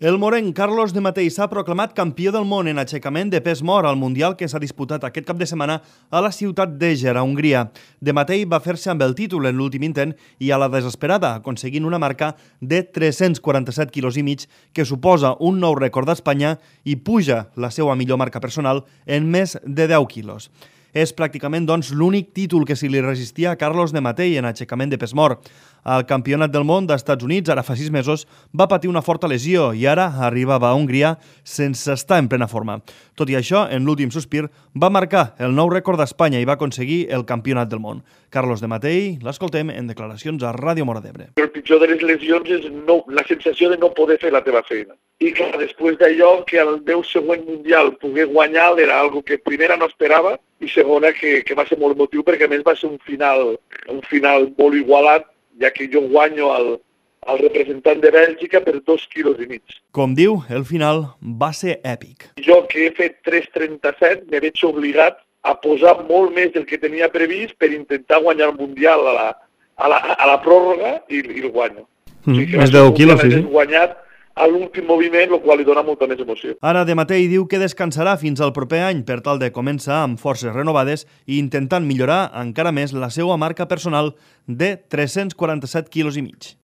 El morenc Carlos de Matei s'ha proclamat campió del món en aixecament de pes mort al Mundial que s'ha disputat aquest cap de setmana a la ciutat d'Eger, a Hongria. De Matei va fer-se amb el títol en l'últim intent i a la desesperada, aconseguint una marca de 347 quilos i mig, que suposa un nou rècord d'Espanya i puja la seva millor marca personal en més de 10 quilos. És pràcticament, doncs, l'únic títol que se li resistia a Carlos de Matei en aixecament de pes mort. Al Campionat del món d'Estats Units, ara fa 6 mesos, va patir una forta lesió i ara arribava a Hongria sense estar en plena forma. Tot i això, en l'últim sospir, va marcar el nou rècord d'Espanya i va aconseguir el Campionat del món. Carlos de Matei, l'escoltem en declaracions a Ràdio Móra d'Ebre. El pitjor de les lesions és la sensació de no poder fer la teva feina. I clar, després d'allò, que al meu següent mundial poder guanyar era algo que primera no esperava i segona que va ser molt emotiu perquè a més va ser un final molt igualat, ja que jo guanyo al representant de Bèlgica per 2 quilos i mig. Com diu, el final va ser èpic. Jo, que he fet 3,37, me veig obligat a posar molt més del que tenia previst per intentar guanyar el Mundial a la pròrroga i el guanyo. O sigui més de 10 quilos, sí. Guanyat a l'últim moviment, el qual li dona molta més emoció. Ara de Matei diu que descansarà fins al proper any per tal de començar amb forces renovades i intentant millorar encara més la seva marca personal de 347 quilos i mig.